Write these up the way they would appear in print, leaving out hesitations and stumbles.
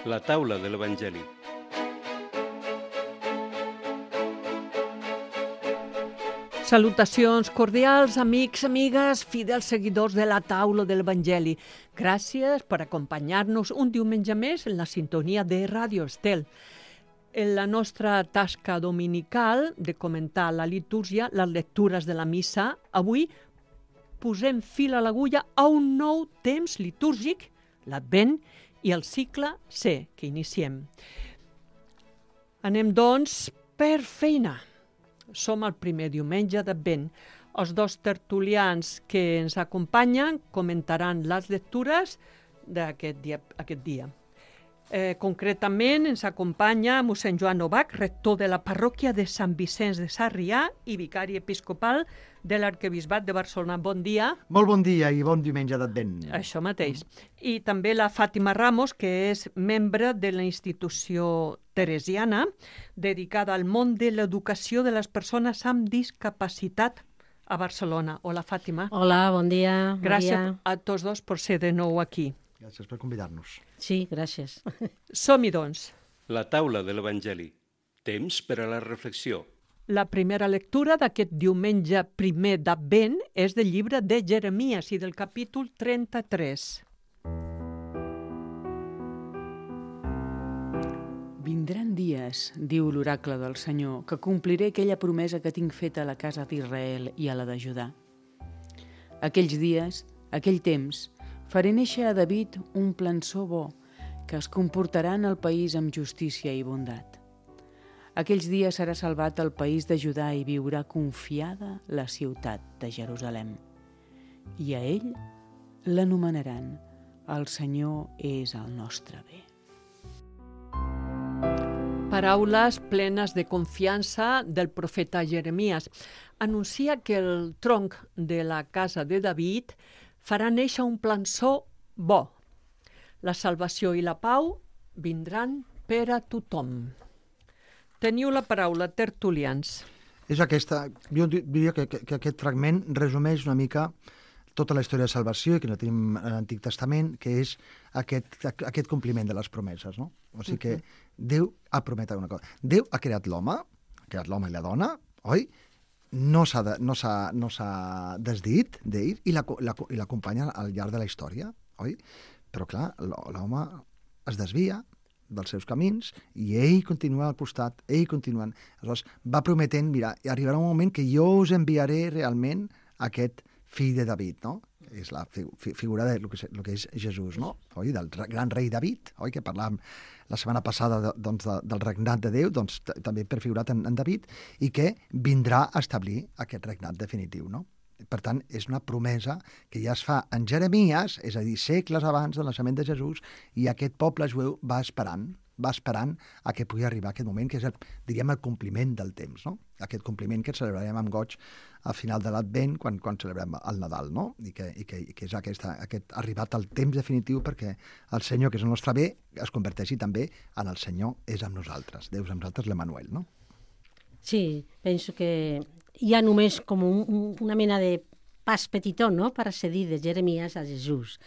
La taula de l'Evangeli. Salutacions cordials, amics, amigues, fidels seguidors de la taula de l'Evangeli. Gràcies per acompanyar-nos un diumenge més en la sintonia de Ràdio Estel. En la nostra tasca dominical de comentar la litúrgia, les lectures de la missa, avui posem fil a l'agulla a un nou temps litúrgic, l'Advent i el cicle C, que iniciem. Anem, doncs, per feina. Som el primer diumenge d'Advent. Els dos tertulians que ens acompanyen comentaran les lectures d'aquest dia. Concretament ens acompanya mossèn Joan Novak, rector de la parròquia de Sant Vicenç de Sarrià i vicari episcopal de l'Arquebisbat de Barcelona. Bon dia. Molt bon dia i bon diumenge d'Advent. Això mateix. I també la Fàtima Ramos, que és membre de la institució teresiana, dedicada al món de l'educació de les persones amb discapacitat a Barcelona. Hola, Fàtima. Hola, bon dia. Gràcies a tots dos per ser de nou aquí. Gràcies per convidar-nos. Sí, gràcies. Som-hi, doncs. La taula de l'Evangeli. Temps per a la reflexió. La primera lectura d'aquest diumenge primer d'Advent és del llibre de Jeremies i del capítol 33. Vindran dies, diu l'oracle del Senyor, que compliré aquella promesa que tinc feta a la casa d'Israel i a la de Judà. Aquells dies, aquell temps, faré néixer a David un plançó bo, que es comportarà en el país amb justícia i bondat. Aquells dies serà salvat el país de Judà i viurà confiada la ciutat de Jerusalem. I a ell l'anomenaran el Senyor és el nostre bé. Paraules plenes de confiança del profeta Jeremies. Anuncia que el tronc de la casa de David farà néixer un plançó bo. La salvació i la pau vindran per a tothom. Teniu la paraula, tertulians. És aquesta, jo diria que aquest fragment resumeix una mica tota la història de salvació i que no tenim a l'Antic Testament, que és aquest compliment de les promeses, no? O sigui que Déu ha promès una cosa. Déu ha creat l'home i la dona, oi? No s'ha desdit d'ell i l'acompanya al llarg de la història, oi? Però clar, l'home es desvia dels seus camins i ell continua al costat, ell continuant. Aleshores, va prometent, mira, arribarà un moment que jo us enviaré realment aquest fill de David, no? És la figura del que és Jesús, no? Oi? Del gran rei David, oi? Que parlàvem la setmana passada del regnat de Déu, doncs també prefigurat en David, i que vindrà a establir aquest regnat definitiu, no? Per tant, és una promesa que ja es fa en Jeremies, és a dir, segles abans del naixement de Jesús, i aquest poble jueu va esperant a que pugui arribar aquest moment, que és, diríem, el compliment del temps, no? Aquest compliment que celebrarem amb goig al final de l'Advent, quan celebrem el Nadal, no? I que és aquest arribat al temps definitiu perquè el Senyor, que és el nostre bé, es converteixi també en el Senyor és amb nosaltres. Déu és amb nosaltres, l'Emmanuel, no? Sí, penso que hi ha només com una mena de pas petitó, no?, per accedir de Jeremies a Jesús.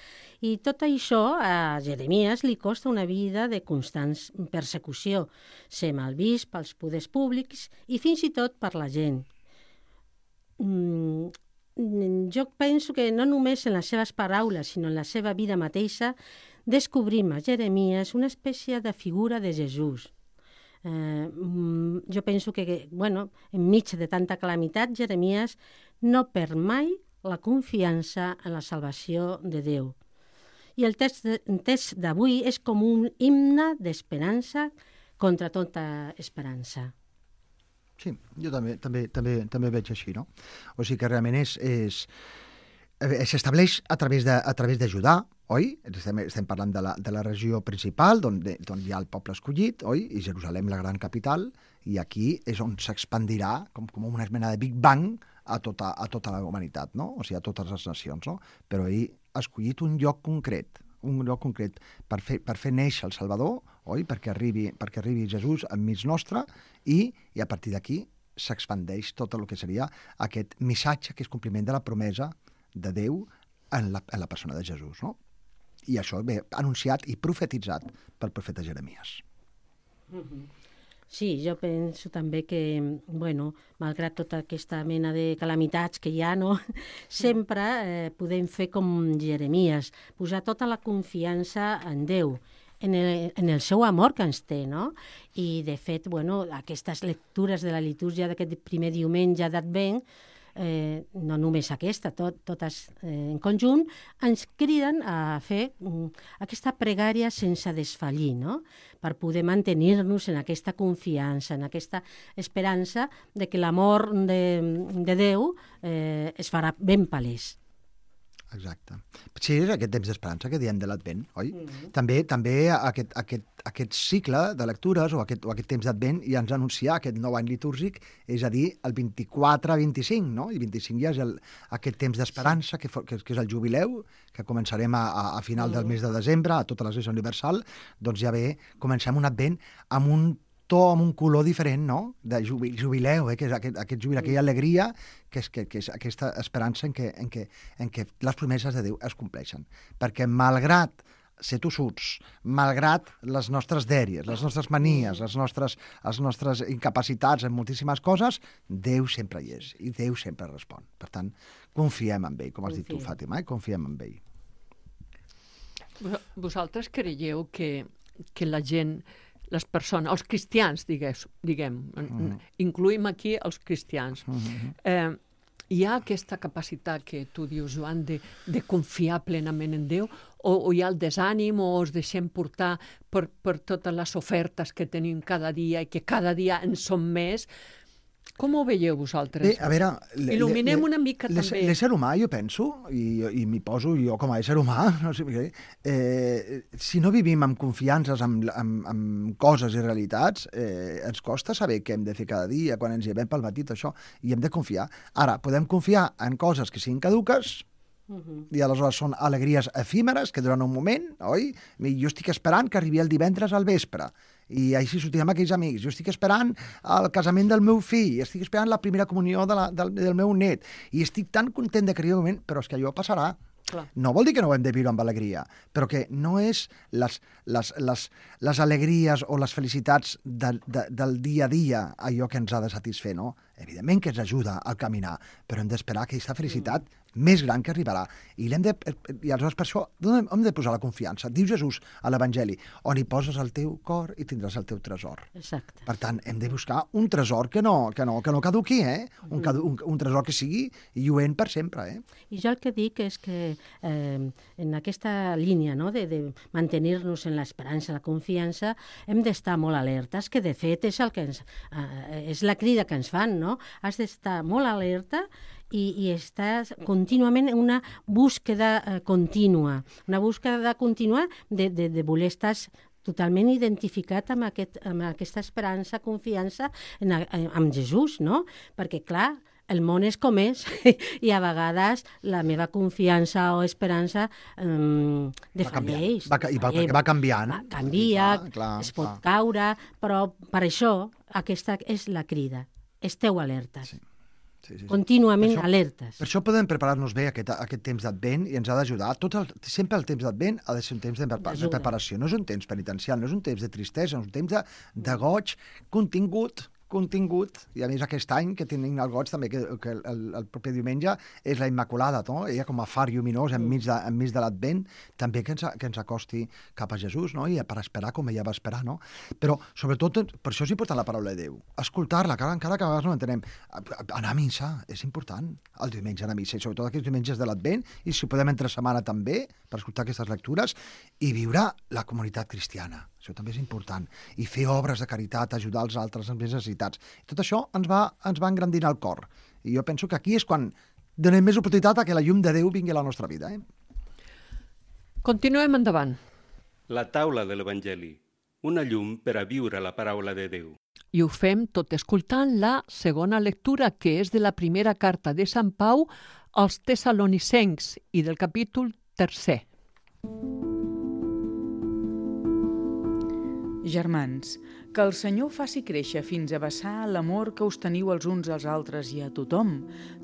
I tot això a Jeremies li costa una vida de constant persecució, ser malvist pels poders públics i fins i tot per la gent. Jo penso que no només en les seves paraules, sinó en la seva vida mateixa, descobrim a Jeremies una espècie de figura de Jesús. Jo penso que, enmig de tanta calamitat, Jeremies no perd mai la confiança en la salvació de Déu. I el text d'avui és com un himne d'esperança contra tota esperança. Sí, jo també veig així, no? O sigui que realment s'estableix a través de Judà, oi? Estem parlant de la regió principal, d'on hi ha el poble escollit, oi? I Jerusalem, la gran capital, i aquí és on s'expandirà com una mena de Big Bang a tota la humanitat, no? O sigui, a totes les nacions, no? Però ell ha escollit un lloc concret per fer néixer el Salvador, oi? Perquè arribi Jesús enmig nostre i a partir d'aquí s'expandeix tot el que seria aquest missatge que és compliment de la promesa de Déu en la persona de Jesús, no? I això ve anunciat i profetitzat pel profeta Jeremies. Sí, jo penso també que, bueno, malgrat tota aquesta mena de calamitats que hi ha, no? Sempre podem fer com Jeremies, posar tota la confiança en Déu, en el seu amor que ens té, no? I, de fet, bueno, aquestes lectures de la litúrgia d'aquest primer diumenge d'Advent, no només aquesta, totes en conjunt, ens criden a fer aquesta pregària sense desfallir, no? Per poder mantenir-nos en aquesta confiança, en aquesta esperança de que l'amor de Déu es farà ben palès. Exacte. Sí, és aquest temps d'esperança que diem de l'Advent, oi? També aquest cicle de lectures o aquest temps d'Advent ja ens anuncia aquest nou any litúrgic, és a dir, el 24-25, no? I 25 ja és aquest temps d'esperança, que és el jubileu, que començarem a final del mes de desembre, a tota l'Església Universal, doncs ja bé, comencem un Advent amb un to, amb un color diferent, no? De jubileu, que és aquest jubileu, aquella alegria, que és aquesta esperança en què les promeses de Déu es compleixen. Perquè malgrat ser tossuts, malgrat les nostres dèries, les nostres manies, les nostres incapacitats en moltíssimes coses, Déu sempre hi és i Déu sempre respon. Per tant, confiem en ell, com has dit tu, Fàtima, confiem en ell. Vosaltres creieu que la gent, les persones, els cristians, diguem, incluïm aquí els cristians, hi ha aquesta capacitat que tu dius, Joan, de confiar plenament en Déu, o hi ha el desànim, o es deixem portar per totes les ofertes que tenim cada dia i que cada dia en som més? Com ho veieu vosaltres? Bé, a veure... Il·luminem una mica també. L'ésser humà, jo penso, i m'hi poso jo com a ésser humà, no sé, si no vivim amb confiances, amb coses i realitats, ens costa saber què hem de fer cada dia, quan ens llevem pel matí, això, i hem de confiar. Ara, podem confiar en coses que siguin caduques, i aleshores són alegries efímeres que duren un moment, oi? Jo estic esperant que arribi el divendres al vespre i així sortirem amb aquells amics. Jo estic esperant el casament del meu fill, estic esperant la primera comunió del meu net i estic tan content de que arribi un moment, però és que allò passarà. Clar. No vol dir que no ho hem de viure amb alegria, però que no és les alegries o les felicitats del dia a dia allò que ens ha de satisfer, no? Evidentment que ens ajuda a caminar, però hem d'esperar aquesta felicitat més gran que arribarà. I aleshores per això hem de posar la confiança. Diu Jesús a l'Evangeli, on hi poses el teu cor i tindràs el teu tresor. Exacte. Per tant, hem de buscar un tresor que no caduqui, un tresor que sigui lluent per sempre. I jo el que dic és que en aquesta línia, no, de mantenir-nos en l'esperança, la confiança, hem d'estar molt alertes, que de fet és és la crida que ens fan, no? Has d'estar molt alerta i estàs contínuament en una búsqueda contínua, de voler estar totalment identificat amb aquesta esperança, confiança amb Jesús, no? Perquè, clar, el món és com és i a vegades la meva confiança o esperança defalleix. Va canviant. Canvia, es pot caure, però per això aquesta és la crida. Esteu alertes. Sí. Contínuament alertes. Per això podem preparar-nos bé aquest temps d'Advent i ens ha d'ajudar. Sempre el temps d'Advent ha de ser un temps de preparació. No és un temps penitencial, no és un temps de tristesa, és un temps de goig contingut, i a més aquest any que tenim el goig també, que el proper diumenge és la Immaculada, no? Ella com a far lluminós enmig de l'Advent, també que ens acosti cap a Jesús, no? I per esperar com ella va esperar, no? Però sobretot, per això és important la paraula de Déu, escoltar-la, encara que a vegades no entenem. Anar a missa és important, el diumenge anar a missa, i sobretot aquests diumenges de l'Advent, i si podem entre setmana també, per escoltar aquestes lectures, i viure la comunitat cristiana. Això també és important. I fer obres de caritat, ajudar els altres amb més necessitats. I tot això ens va engrandint el cor. I jo penso que aquí és quan donem més oportunitat a que la llum de Déu vingui a la nostra vida. Continuem endavant. La taula de l'Evangeli, una llum per a viure la paraula de Déu. I ho fem tot escoltant la segona lectura, que és de la primera carta de Sant Pau als Tessalonicencs i del capítol 3. Germans, que el Senyor faci créixer fins a vessar l'amor que us teniu els uns als altres i a tothom,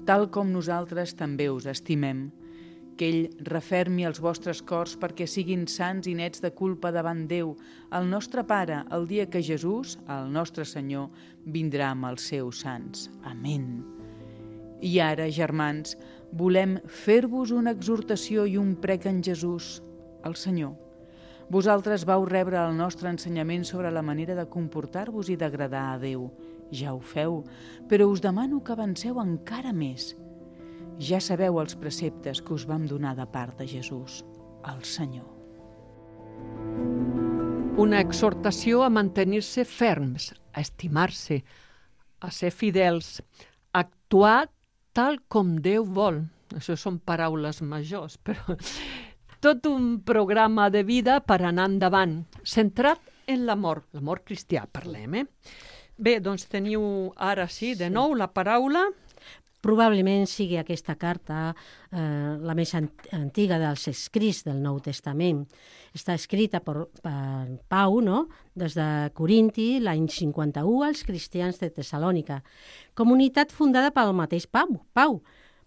tal com nosaltres també us estimem. que ell refermi els vostres cors perquè siguin sants i nets de culpa davant Déu, el nostre Pare, el dia que Jesús, el nostre Senyor, vindrà amb els seus sants. Amén. I ara, germans, volem fer-vos una exhortació i un prec en Jesús, el Senyor. Vosaltres vau rebre el nostre ensenyament sobre la manera de comportar-vos i d'agradar a Déu. Ja ho feu, però us demano que avanceu encara més. Ja sabeu els preceptes que us vam donar de part de Jesús, el Senyor. Una exhortació a mantenir-se ferms, a estimar-se, a ser fidels, a actuar tal com Déu vol. Això són paraules majors, però tot un programa de vida per anar endavant, centrat en l'amor cristià, parlem, Bé, doncs teniu ara sí, de nou, la paraula. Probablement sigui aquesta carta la més antiga dels escrits del Nou Testament. Està escrita per Pau, no? Des de Corinti, l'any 51, als cristians de Tessalònica. Comunitat fundada pel mateix Pau,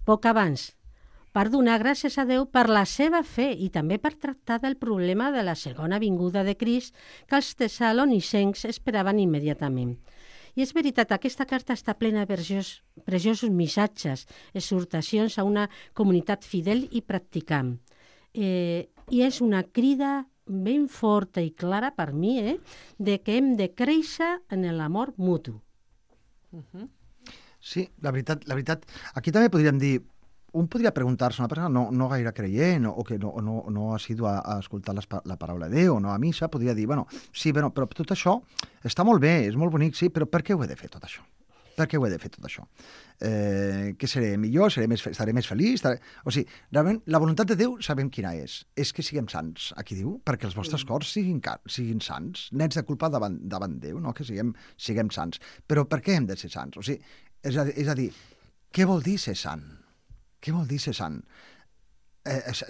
poc abans, per donar gràcies a Déu per la seva fe i també per tractar del problema de la segona vinguda de Crist que els tessalonicencs esperaven immediatament. I és veritat, aquesta carta està plena de preciosos missatges, exhortacions a una comunitat fidel i practicant. I és una crida ben forta i clara per mi, de que hem de créixer en l'amor mutu. Sí, la veritat, aquí també podríem dir, un podria preguntar-se, una persona no gaire creient o que no ha sido a escoltar la paraula de Déu o no a missa, podria dir, però tot això està molt bé, és molt bonic, sí, però per què ho he de fer tot això? Per què ho he de fer tot això? Que seré millor, estaré més feliç? O sigui, realment, la voluntat de Déu sabem quina és que siguem sants, aquí diu, perquè els vostres cors siguin sants, nets de culpa davant Déu, no? Que siguem sants. Però per què hem de ser sants? O sigui, és a dir, què vol dir ser sant? Què vol dir ser sant?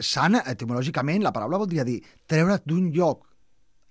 Sant, etimològicament, la paraula voldria dir treure't d'un lloc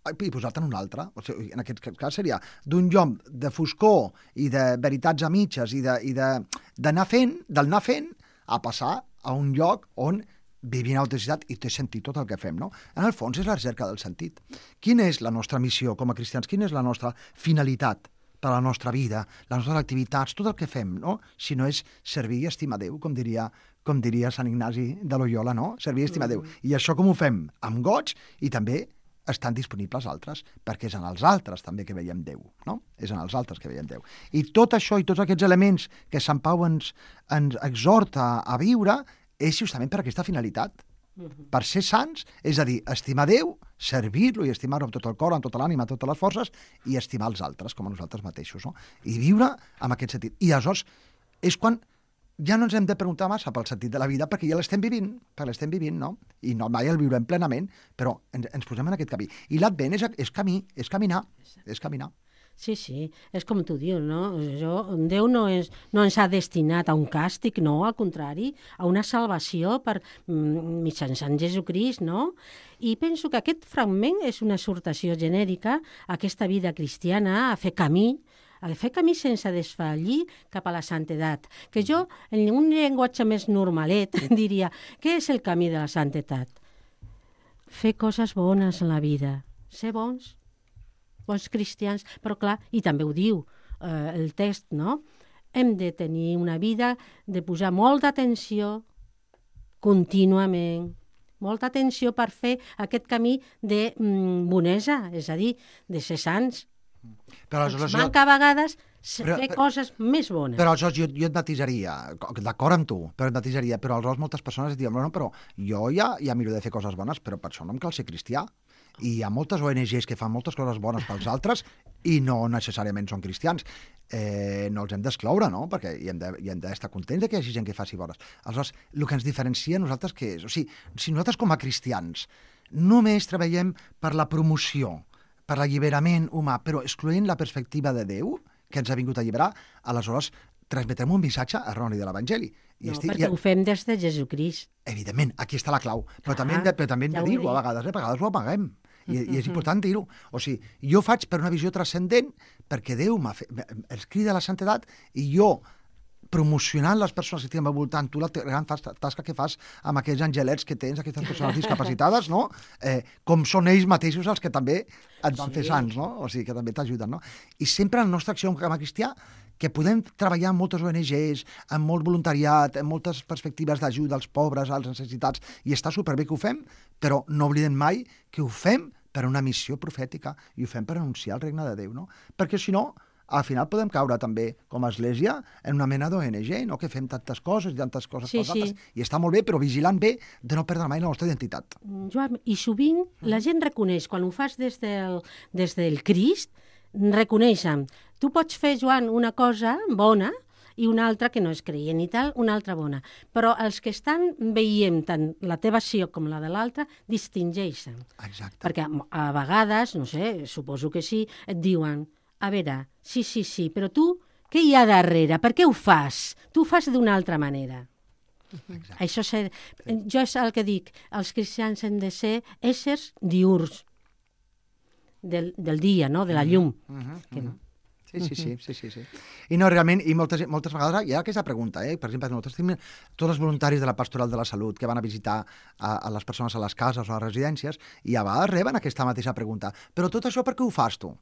i posar-te en un altre. O sigui, en aquest cas seria d'un lloc de foscor i de veritats a mitges i d'anar fent a passar a un lloc on vivim en autenticitat i té sentit tot el que fem, no? En el fons és la recerca del sentit. Quina és la nostra missió com a cristians? Quina és la nostra finalitat per a la nostra vida, les nostres activitats, tot el que fem, no? Si no és servir i estimar Déu, com diria Sant Ignasi de Loyola, no? Servir i estimar Déu. I això com ho fem? Amb goig i també estan disponibles altres, perquè és en els altres també que veiem Déu, no? És en els altres que veiem Déu. I tot això i tots aquests elements que Sant Pau ens exhorta a viure és justament per aquesta finalitat. Per ser sants, és a dir, estimar Déu, servir-lo i estimar-lo amb tot el cor, amb tota l'ànima, amb totes les forces, i estimar els altres, com a nosaltres mateixos, no? I viure amb aquest sentit. I aleshores és quan ja no ens hem de preguntar massa pel sentit de la vida, perquè ja l'estem vivint, no? I no mai el viurem plenament, però ens posem en aquest camí. I l'Advent és camí, és caminar. Sí, és com tu dius, no? Déu no ens ha destinat a un càstig, no, al contrari, a una salvació mitjançant Jesucrist, no? I penso que aquest fragment és una exhortació genèrica a aquesta vida cristiana, a fer camí sense desfallir cap a la santedat. Que jo, en un llenguatge més normalet, diria, què és el camí de la santedat? Fer coses bones en la vida, ser bons cristians, però clar, i també ho diu el text, no? Hem de tenir una vida de posar molta atenció contínuament, molta atenció per fer aquest camí de bonesa, és a dir, de ser sants. Però manca a vegades fer coses més bones. Però aleshores jo et matisaria, d'acord amb tu, però aleshores moltes persones diuen, però jo ja miro de fer coses bones, però per això no em cal ser cristià. I hi ha moltes ONGs que fan moltes coses bones pels altres i no necessàriament són cristians. No els hem d'excloure, no? Perquè hi hem d'estar contents que hi hagi gent que faci bones. Aleshores, el que ens diferencia a nosaltres què és? O sigui, si nosaltres com a cristians només treballem per la promoció, per l'alliberament humà, però excloent la perspectiva de Déu, que ens ha vingut a alliberar, aleshores transmetrem un missatge erroni de l'Evangeli. Perquè ho fem des de Jesucrist. Evidentment, aquí està la clau. Però també hem de dir-ho a vegades ho amaguem. I és important dir-ho. O sigui, jo faig per una visió transcendent perquè Déu els crida a la santedat i jo, promocionant les persones que tenen al voltant, tu la gran tasca que fas amb aquells angelets que tens, aquestes persones discapacitades, no? Com són ells mateixos els que també et van fer sants, no? O sigui, que també t'ajuden, no? I sempre en la nostra acció com a cristià, que podem treballar amb moltes ONGs, amb molt voluntariat, amb moltes perspectives d'ajuda als pobres, als necessitats, i està superbé que ho fem, però no oblidem mai que ho fem per una missió profètica i ho fem per anunciar el regne de Déu, no? Perquè si no, al final podem caure també, com a església, en una mena d'ONG, no? Que fem tantes coses pels altres, i està molt bé, però vigilant bé de no perdre mai la nostra identitat. Joan, i sovint la gent reconeix, quan ho fas des del Crist, reconeixen. Tu pots fer, Joan, una cosa bona i una altra que no és creient i tal, una altra bona. Però els que estan veient tant la teva acció com la de l'altra distingeixen. Exacte. Perquè a vegades, no sé, suposo que sí, et diuen: a veure, sí, però tu, què hi ha darrere? Per què ho fas? Tu ho fas d'una altra manera. Exacte. Això jo és el que dic, els cristians hem de ser éssers diürns del dia, no? De la llum. Sí. I no, realment, i moltes vegades hi ha aquesta pregunta, per exemple, nosaltres tenim tots els voluntaris de la Pastoral de la Salut que van a visitar a les persones a les cases o a les residències, i a vegades reben aquesta mateixa pregunta: però tot això per què ho fas tu?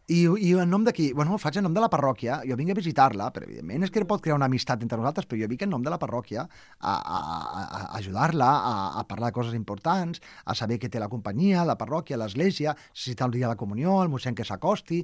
I en nom de qui? Bueno, ho faig en nom de la parròquia, jo vinc a visitar-la, però evidentment és que pot crear una amistat entre nosaltres, però jo vinc en nom de la parròquia a ajudar-la, a parlar de coses importants, a saber que té la companyia, la parròquia, l'església, si té el dia de la comunió, el mossèn que s'acosti,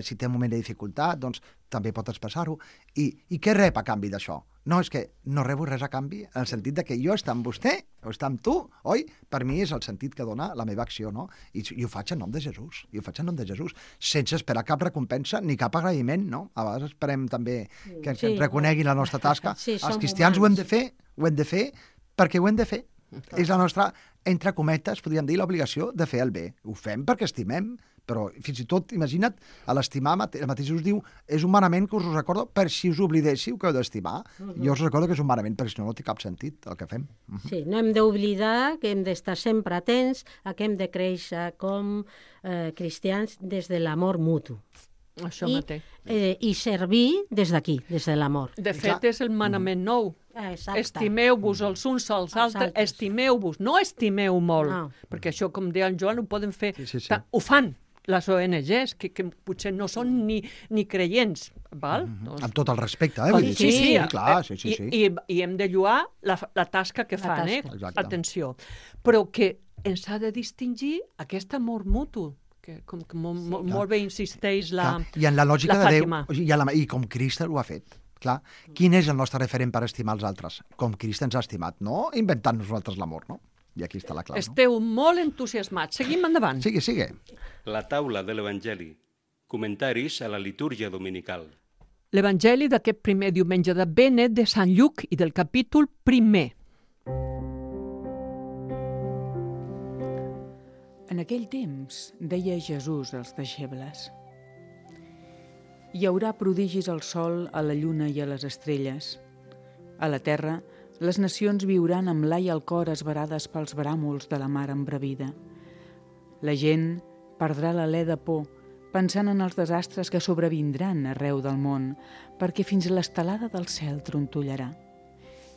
si té un moment de dificultat, doncs també pot expressar-ho. I què rep a canvi d'això? No, és que no rebo res a canvi, en el sentit de que jo estar amb vostè o estar amb tu, oi? Per mi és el sentit que dona la meva acció, no? I ho faig en nom de Jesús, sense esperar cap recompensa ni cap agraïment, no? A vegades esperem també que reconeguin la nostra tasca. Sí, els cristians ho hem de fer perquè ho hem de fer. És la nostra, entre cometes, podríem dir, l'obligació de fer el bé. Ho fem perquè estimem, però fins i tot, imagina't, a l'estimar, el mateix us diu, és un manament que us recordo per si us oblidéssiu que heu d'estimar. Jo us recordo que és un manament, perquè si no, no té cap sentit el que fem. Sí, no hem d'oblidar que hem d'estar sempre atents a que hem de créixer com cristians des de l'amor mutu. Això mateix. I servir des d'aquí, des de l'amor. De fet, és el manament nou. Exacte. Estimeu-vos els uns als altres, estimeu-vos, no estimeu molt, perquè això, com deia en Joan, ho poden fer, ho fan les ONGs, que potser no són ni creients, val? Amb tot el respecte, Sí, clar. I hem de lloar la tasca que fan, atenció. Però que ens ha de distingir aquest amor mutu, que molt bé insisteix la Fàtima. I en la lògica de Déu, i com Crist ho ha fet. Clar, quin és el nostre referent per estimar els altres? Com Crist ens ha estimat, no inventant nosaltres l'amor, no? I aquí està la clau, no? Esteu molt entusiasmats. Seguim endavant. Sigue. La taula de l'Evangeli. Comentaris a la litúrgia dominical. L'Evangeli d'aquest primer diumenge de Benet de Sant Lluc i del capítol 1. En aquell temps deia Jesús als deixebles: hi haurà prodigis al sol, a la lluna i a les estrelles. A la terra, les nacions viuran amb l'ai al cor esverades pels bràmols de la mar embravida. La gent perdrà l'alè de por, pensant en els desastres que sobrevindran arreu del món, perquè fins l'estelada del cel trontollarà.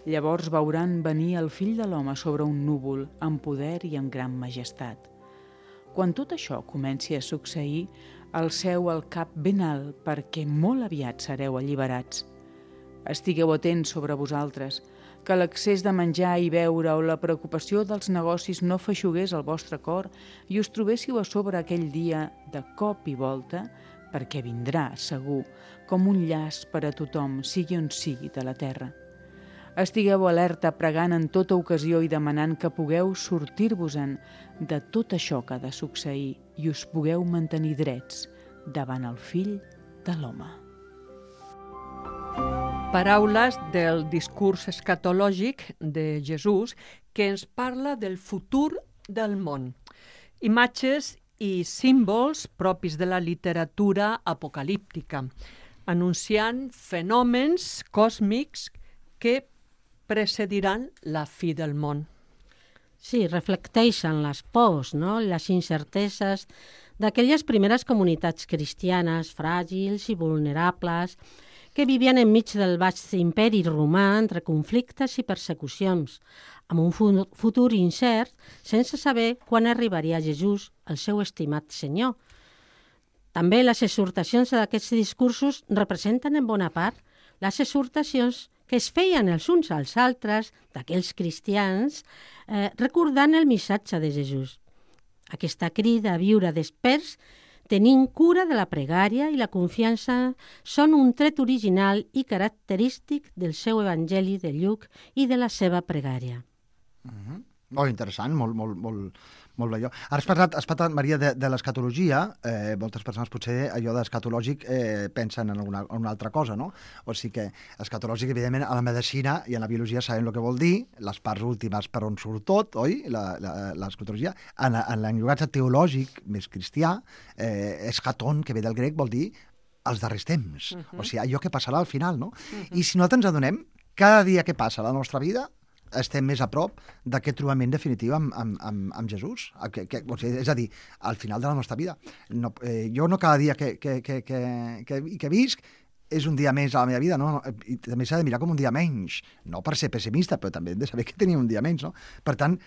Llavors veuran venir el fill de l'home sobre un núvol, amb poder i amb gran majestat. Quan tot això comenci a succeir, alceu el cap ben alt, perquè molt aviat sereu alliberats. Estigueu atents sobre vosaltres, que l'excés de menjar i beure o la preocupació dels negocis no feixugués el vostre cor i us trobéssiu a sobre aquell dia de cop i volta, perquè vindrà, segur, com un llaç per a tothom, sigui on sigui de la terra. Estigueu alerta, pregant en tota ocasió i demanant que pugueu sortir-vos-en de tot això que ha de succeir i us pugueu mantenir drets davant el fill de l'home. Paraules del discurs escatològic de Jesús que ens parla del futur del món. Imatges i símbols propis de la literatura apocalíptica, anunciant fenòmens còsmics que precediran la fi del món. Sí, reflecteixen les pors, no? Les incerteses d'aquelles primeres comunitats cristianes fràgils i vulnerables que vivien enmig del vast imperi romà entre conflictes i persecucions, amb un futur incert, sense saber quan arribaria Jesús, el seu estimat Senyor. També les exhortacions d'aquests discursos representen en bona part les exhortacions que es feien els uns als altres d'aquells cristians recordant el missatge de Jesús. Aquesta crida a viure desperts, tenint cura de la pregària i la confiança, són un tret original i característic del seu Evangeli de Lluc i de la seva pregària. Molt interessant, molt bé. Ara has parlat, Maria, de l'escatologia. Moltes persones potser allò d'escatològic pensen en una altra cosa, no? O sigui que escatològic, evidentment, a la medicina i a la biologia sabem el que vol dir, les parts últimes per on surt tot, oi? L'escatologia. En l'enllugatge teològic més cristià, eschaton, que ve del grec, vol dir els darrers temps. O sigui, allò que passarà al final, no? I si nosaltres ens adonem, cada dia que passa a la nostra vida estem més a prop d'aquest trobament definitiu amb Jesús. O sigui, és a dir, al final de la nostra vida. Jo no cada dia que visc és un dia més a la meva vida, no? I també s'ha de mirar com un dia menys. No per ser pessimista, però també hem de saber que tenim un dia menys, no? Per tant,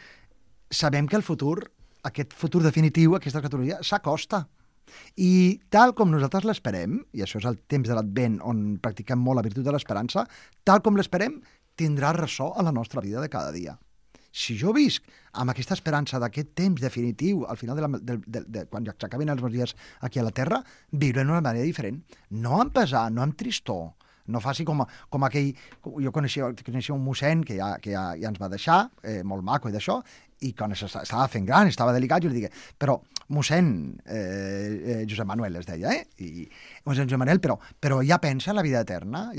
sabem que el futur, aquest futur definitiu, aquesta escatologia, s'acosta. I tal com nosaltres l'esperem, i això és el temps de l'Advent on practiquem molt la virtut de l'esperança, tal com l'esperem, tindrà ressò a la nostra vida de cada dia. Si jo visc amb aquesta esperança d'aquest temps definitiu, al final quan s'acaben els meus dies aquí a la Terra, viure d'una manera diferent. No amb pesar, no amb tristor, no faci com aquell... Jo coneixia un mossèn que ja ens va deixar, molt maco i d'això, i quan estava fent gran, estava delicat, jo li digué, però mossèn Josep Manuel es deia, i mossèn Josep Manuel, però ja pensa en la vida eterna,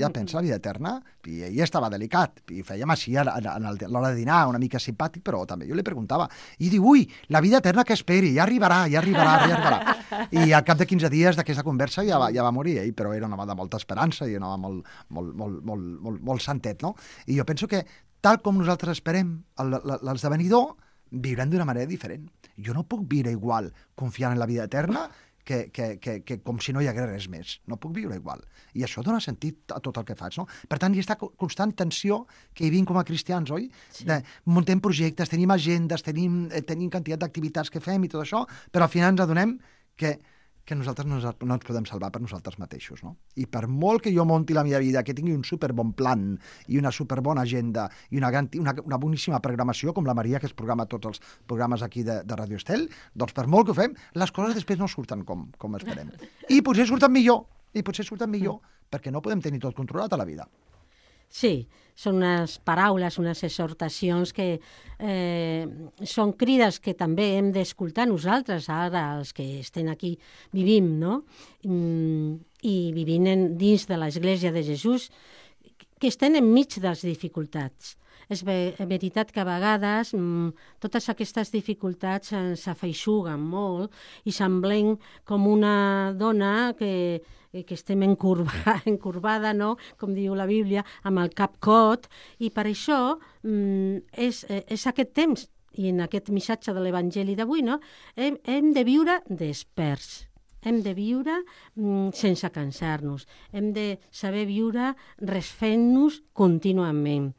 i ell estava delicat, i fèiem així a l'hora de dinar, una mica simpàtic, però també jo li preguntava, i diu, ui, la vida eterna que esperi, ja arribarà. I al cap de 15 dies d'aquesta conversa ja va morir ell, però era un home de molta esperança i un home molt santet, no? I jo penso que tal com nosaltres esperem l'esdevenidor, viurem d'una manera diferent. Jo no puc viure igual confiant en la vida eterna que com si no hi hagués res més. No puc viure igual. I això dona sentit a tot el que faig, no? Per tant, hi ha aquesta constant tensió que hi vivim com a cristians, oi? Sí. Muntem projectes, tenim agendes, tenim quantitat d'activitats que fem i tot això, però al final ens adonem que nosaltres no ens podem salvar per nosaltres mateixos, no? I per molt que jo monti la meva vida, que tingui un superbon plan i una superbona agenda i una boníssima programació, com la Maria, que es programa tots els programes aquí de Radio Estel, doncs per molt que ho fem, les coses després no surten com esperem. I potser surten millor, perquè no podem tenir tot controlat a la vida. Sí, són unes paraules, unes exhortacions que són crides que també hem d'escoltar nosaltres, ara els que estem aquí vivim, no? I vivint dins de l'Església de Jesús, que estem enmig de les dificultats. És veritat que a vegades totes aquestes dificultats ens afeixuguen molt i semblem com una dona que estem encorbada, no? Com diu la Bíblia, amb el cap cot, i per això és aquest temps, i en aquest missatge de l'Evangeli d'avui, no? Hem de viure desperts. Hem de viure sense cansar-nos. Hem de saber viure refent-nos contínuament.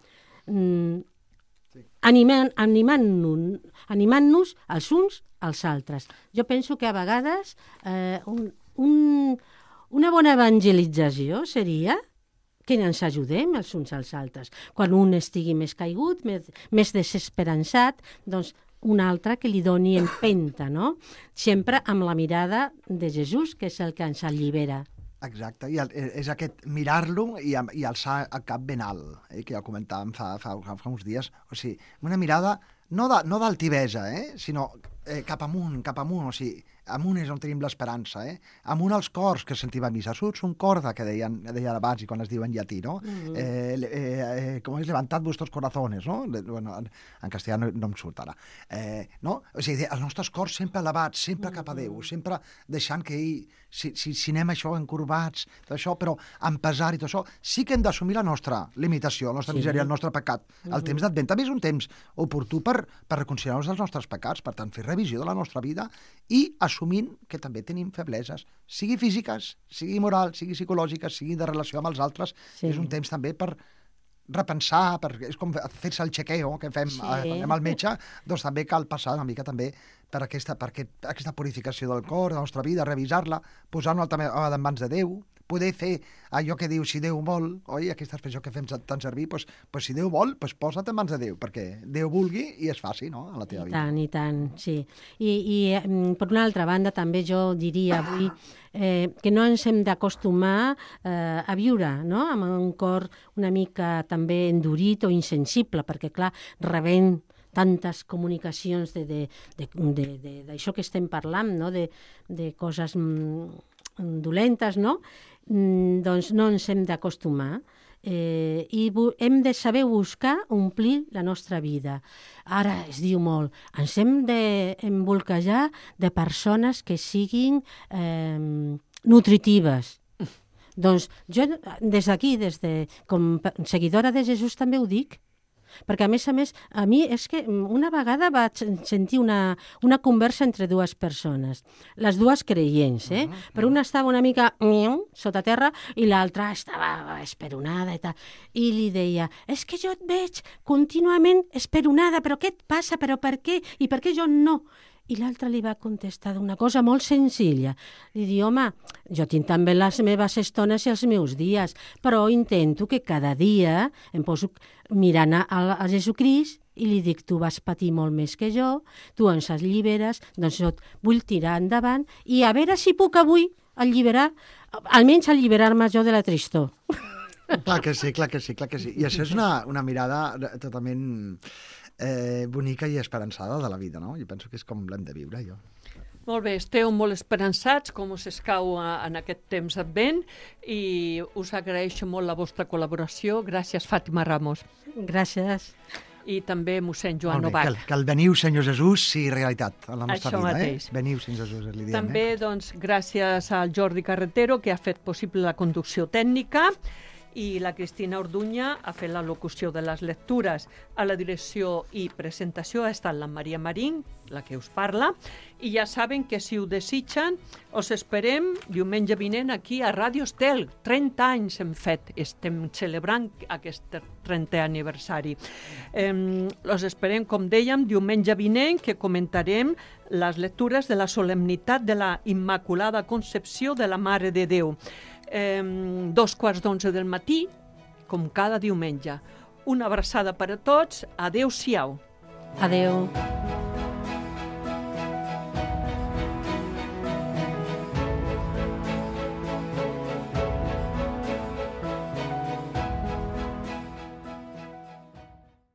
Animant-nos els uns als altres. Jo penso que a vegades una bona evangelització seria que ens ajudem els uns als altres. Quan un estigui més caigut, més desesperançat, doncs un altre que li doni empenta, no? Sempre amb la mirada de Jesús, que és el que ens allibera. Exacte, i és aquest mirar-lo i alçar el cap ben alt, que ja comentàvem fa uns dies. O sigui, una mirada no d'altivesa, sinó cap amunt, o sigui, amunt és on tenim l'esperança, amunt als cors que sentim a missa, surts un corda, que deien abans i quan es diu en llatí, no? Com és levantad vuestros corazones, no? Bueno, en castellà no em surt ara. No? O sigui, els nostres cors sempre elevats, sempre cap a Déu, sempre deixant que ell, si anem això encorbats, tot això, però amb pesar i tot això, sí que hem d'assumir la nostra limitació, la nostra misèria, el nostre pecat. El temps d'Advent també és un temps oportú per reconciliar-nos dels nostres pecats, per tant, fer revisió de la nostra vida i assumint que també tenim febleses, sigui físiques, sigui moral, sigui psicològiques, sigui de relació amb els altres. És un temps també per repensar, és com fer-se el chequeo que fem quan anem al metge, doncs també cal passar una mica també per aquesta purificació del cor, de la nostra vida, revisar-la, posar-nos en mans de Déu, poder fer allò que diu si Déu vol, oi? Aquesta expressió que fem tant servir, doncs si Déu vol, posa't en mans de Déu, perquè Déu vulgui i es faci, no?, a la teva vida. I tant, sí. I per una altra banda, també jo diria avui que no ens hem d'acostumar a viure, no?, amb un cor una mica també endurit o insensible, perquè, clar, rebent tantes comunicacions d'això que estem parlant, no?, de coses dolentes, no?, doncs no ens hem d'acostumar i hem de saber buscar omplir la nostra vida. Ara es diu molt, ens hem d'embolquejar de persones que siguin nutritives. Doncs jo des d'aquí, com seguidora de Jesús també ho dic, perquè a més, a mi és que una vegada vaig sentir una conversa entre dues persones, les dues creients, però una estava una mica sota terra i l'altra estava esperonada i tal, i li deia, és que jo et veig contínuament esperonada, però què et passa, però per què, i per què jo no? I l'altre li va contestar d'una cosa molt senzilla. Li diu, home, jo tinc també les meves estones i els meus dies, però intento que cada dia em poso mirant a Jesucrist i li dic, tu vas patir molt més que jo, tu ens alliberes, doncs jo vull tirar endavant i a veure si puc avui almenys alliberar-me jo de la tristor. Clar que sí. I això és una mirada totalment bonica i esperançada de la vida, no? Jo penso que és com l'hem de viure, jo. Molt bé, esteu molt esperançats, com us escau en aquest temps d'Advent, i us agraeixo molt la vostra col·laboració. Gràcies, Fàtima Ramos. Gràcies. I també mossèn Joan Novak. Que el veniu, Senyor Jesús, sigui realitat en la nostra vida. Mateix. Veniu, Senyor Jesús, li diem. També, doncs, gràcies al Jordi Carretero, que ha fet possible la conducció tècnica, i la Cristina Orduña ha fet la locució de les lectures. A la direcció i presentació ha estat la Maria Marín, la que us parla, i ja saben que si ho desitgen us esperem diumenge vinent aquí a Ràdio Estel. 30 anys hem fet, estem celebrant aquest 30è aniversari. Us esperem, com dèiem, diumenge vinent, que comentarem les lectures de la solemnitat de la Immaculada Concepció de la Mare de Déu. 2:15 del matí, com cada diumenge. Una abraçada per a tots. Adéu-siau. Adéu.